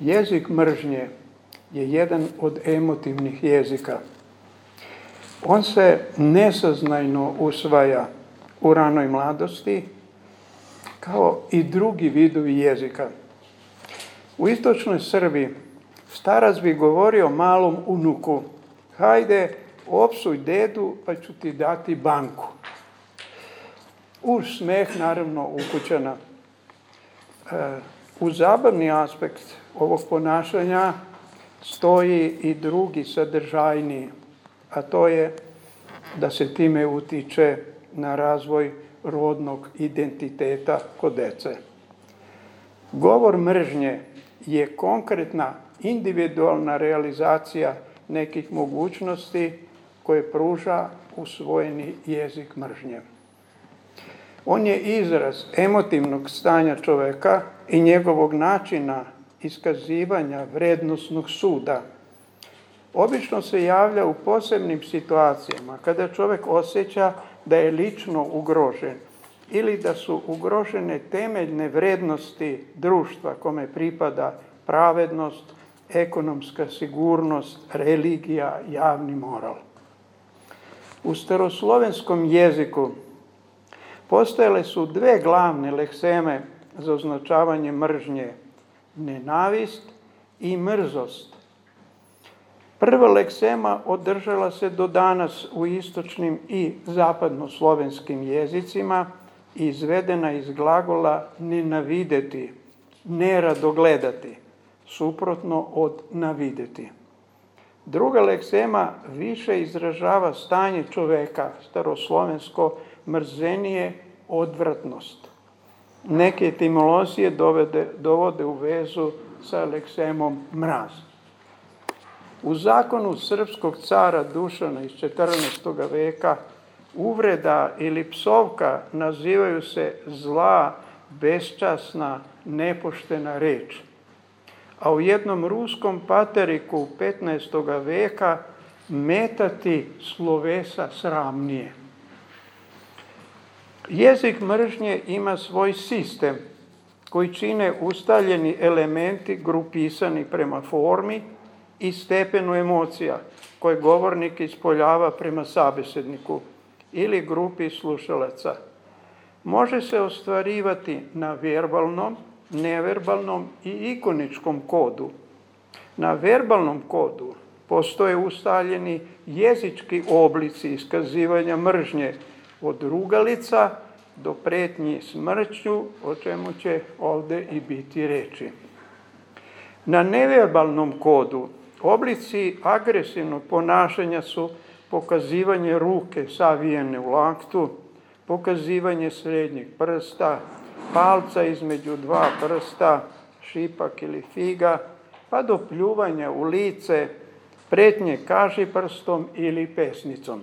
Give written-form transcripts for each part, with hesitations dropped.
Jezik mržnje je jedan od emotivnih jezika. On se nesaznajno usvaja u ranoj mladosti, kao i drugi vidovi jezika. U istočnoj Srbiji starac bi govorio malom unuku: hajde, opsuj dedu pa ću ti dati banku. Uz smeh, naravno, ukućana. U zabavni aspekt ovog ponašanja stoji i drugi sadržajniji, a to je da se time utiče na razvoj rodnog identiteta kod dece. Govor mržnje je konkretna, individualna realizacija nekih mogućnosti koje pruža usvojeni jezik mržnje. On je izraz emotivnog stanja čoveka i njegovog načina iskazivanja vrednosnog suda. Obično se javlja u posebnim situacijama kada čovek osjeća da je lično ugrožen ili da su ugrožene temeljne vrednosti društva kome pripada pravednost, ekonomska sigurnost, religija, javni moral. U staroslovenskom jeziku postojale su dve glavne lekseme za označavanje mržnje: nenavist i mrzost. Prva leksema održala se do danas u istočnim i zapadnoslovenskim jezicima i izvedena iz glagola nenavideti, nerado gledati, suprotno od navideti. Druga leksema više izražava stanje čoveka, staroslovensko mrzenije, odvratnost. Neke etimologije dovode u vezu sa leksemom mraz. U zakonu srpskog cara Dušana iz 14. veka uvreda ili psovka nazivaju se zla, beščasna, nepoštena reč. A u jednom ruskom pateriku 15. veka metati slovesa sramnije. Jezik mržnje ima svoj sistem koji čine ustaljeni elementi grupisani prema formi i stepenu emocija koje govornik ispoljava prema sabesedniku ili grupi slušalaca. Može se ostvarivati na verbalnom, neverbalnom i ikoničkom kodu. Na verbalnom kodu postoje ustaljeni jezički oblici iskazivanja mržnje, od rugalica do pretnji smrću, o čemu će ovde i biti reči. Na neverbalnom kodu oblici agresivnog ponašanja su pokazivanje ruke savijene u laktu, pokazivanje srednjeg prsta, palca između dva prsta, šipak ili figa, pa do pljuvanja u lice, pretnje kažiprstom ili pesnicom.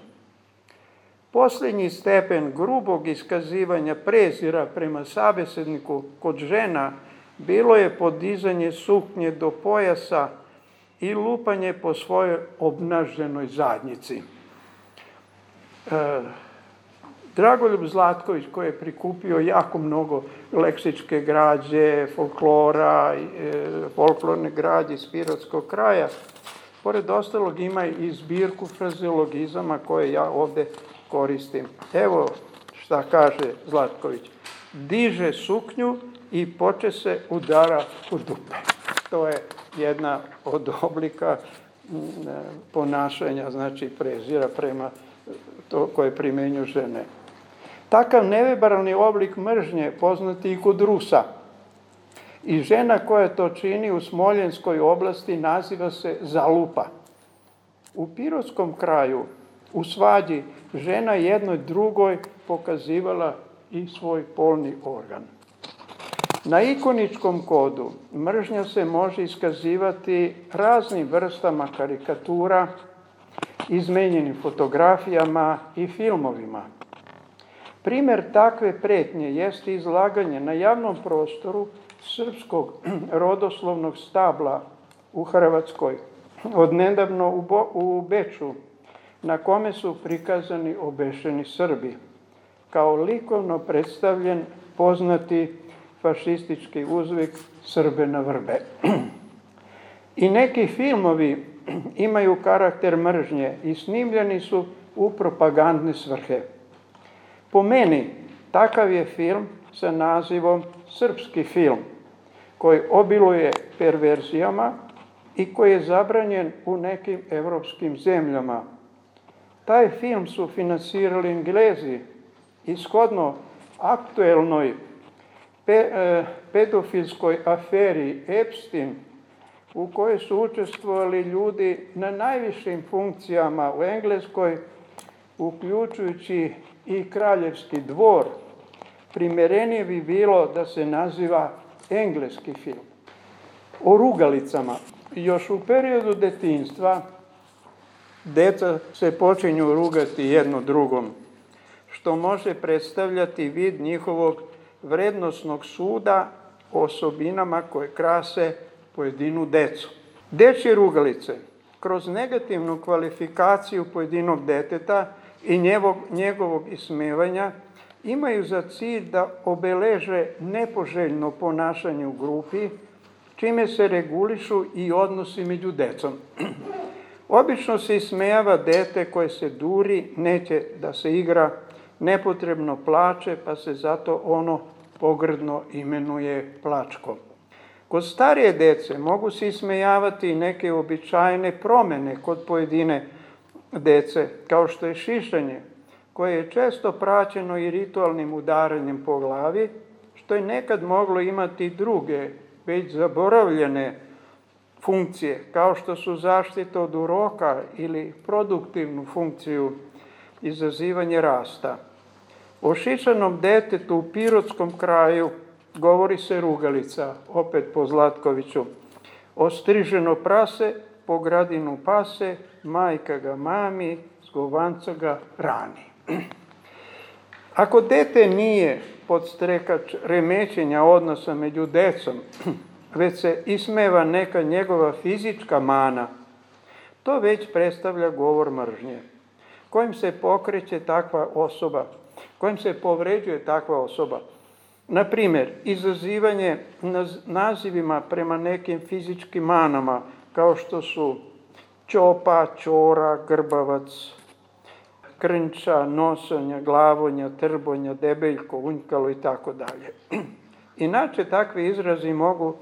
Posljednji stepen grubog iskazivanja prezira prema sabesedniku kod žena bilo je podizanje suknje do pojasa i lupanje po svojoj obnaženoj zadnjici. Dragoljub Zlatković, koji je prikupio jako mnogo leksičke građe, folklora, folklorne građe iz pirotskog kraja, pored ostalog ima i zbirku frazeologizama koje ja ovde koristim. Evo šta kaže Zlatković: diže suknju i poče se udara u dupe. To je jedna od oblika ponašanja, znači prezira prema to koje primenju žene. Takav neverbalni oblik mržnje poznati i kod Rusa. I žena koja to čini u Smoljenskoj oblasti naziva se zalupa. U pirotskom kraju, u svađi, žena jednoj drugoj pokazivala i svoj polni organ. Na ikoničkom kodu mržnja se može iskazivati raznim vrstama karikatura, izmenjenim fotografijama i filmovima. Primer takve pretnje jeste izlaganje na javnom prostoru srpskog rodoslovnog stabla u Hrvatskoj, odnedavno u Beču, na kome su prikazani obešeni Srbi, kao likovno predstavljen poznati fašistički uzvik Srbe na vrbe. I neki filmovi imaju karakter mržnje i snimljeni su u propagandne svrhe. Po meni, takav je film sa nazivom srpski film, koji obiluje perverzijama i koji je zabranjen u nekim evropskim zemljama. Taj film su finansirali Englezi i shodno aktuelnoj pedofilskoj aferi Epstein, u kojoj su učestvovali ljudi na najvišim funkcijama u Engleskoj, uključujući i kraljevski dvor, primerenije bi bilo da se naziva engleski film. O rugalicama. Još u periodu detinjstva deca se počinju rugati jedno drugom, što može predstavljati vid njihovog vrednosnog suda o osobinama koje krase pojedinu decu. Dečje rugalice, kroz negativnu kvalifikaciju pojedinog deteta i njegovog ismevanja, imaju za cilj da obeleže nepoželjno ponašanje u grupi, čime se regulišu i odnosi među decom. Obično se ismejava dete koje se duri, neće da se igra, nepotrebno plače, pa se zato ono pogrdno imenuje plačkom. Kod starije dece mogu se ismejavati i neke uobičajene promene kod pojedine dece, kao što je šišanje, koje je često praćeno i ritualnim udaranjem po glavi, što je nekad moglo imati druge, već zaboravljene funkcije, kao što su zaštita od uroka ili produktivnu funkciju izazivanje rasta. O šišanom detetu u pirotskom kraju govori se rugalica, opet po Zlatkoviću. Ostriženo prase, po gradinu pase, majka ga mami, zgovanca ga rani. Ako dete nije podstrekač remećenja odnosa među decom, već se ismeva neka njegova fizička mana, to već predstavlja govor mržnje, kojim se pokreće takva osoba, kojim se povređuje takva osoba. Na primjer, izazivanje nazivima prema nekim fizičkim manama, kao što su ćopa, ćora, grbavac, krnča, nosonja, glavonja, trbonja, debeljko, unjkalo i tako dalje. Inače, takvi izrazi mogu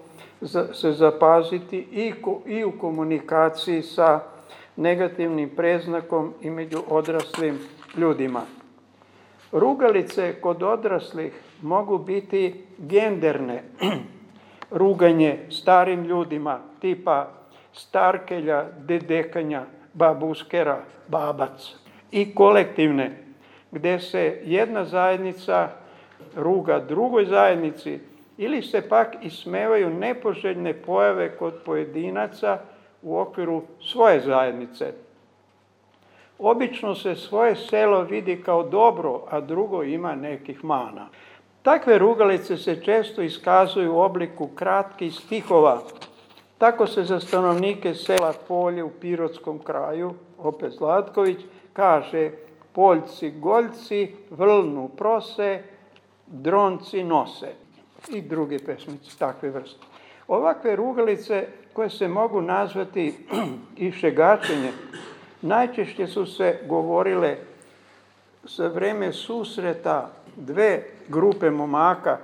se zapaziti i u komunikaciji sa negativnim preznakom i među odraslim ljudima. Rugalice kod odraslih mogu biti genderne. Ruganje starim ljudima, tipa starkelja, dedekanja, babuskera, babac. I kolektivne, gde se jedna zajednica ruga drugoj zajednici ili se pak ismevaju nepoželjne pojave kod pojedinaca u okviru svoje zajednice. Obično se svoje selo vidi kao dobro, a drugo ima nekih mana. Takve rugalice se često iskazuju u obliku kratkih stihova. Tako se za stanovnike sela Polje u pirotskom kraju, opet Zlatković, kaže: poljci goljci vrlnu prose, dronci nose. I druge pesmice takve vrste. Ovakve rugalice, koje se mogu nazvati i šegačenje, najčešće su se govorile za vreme susreta dve grupe momaka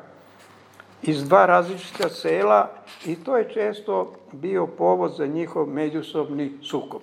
iz dva različita sela i to je često bio povod za njihov međusobni sukob.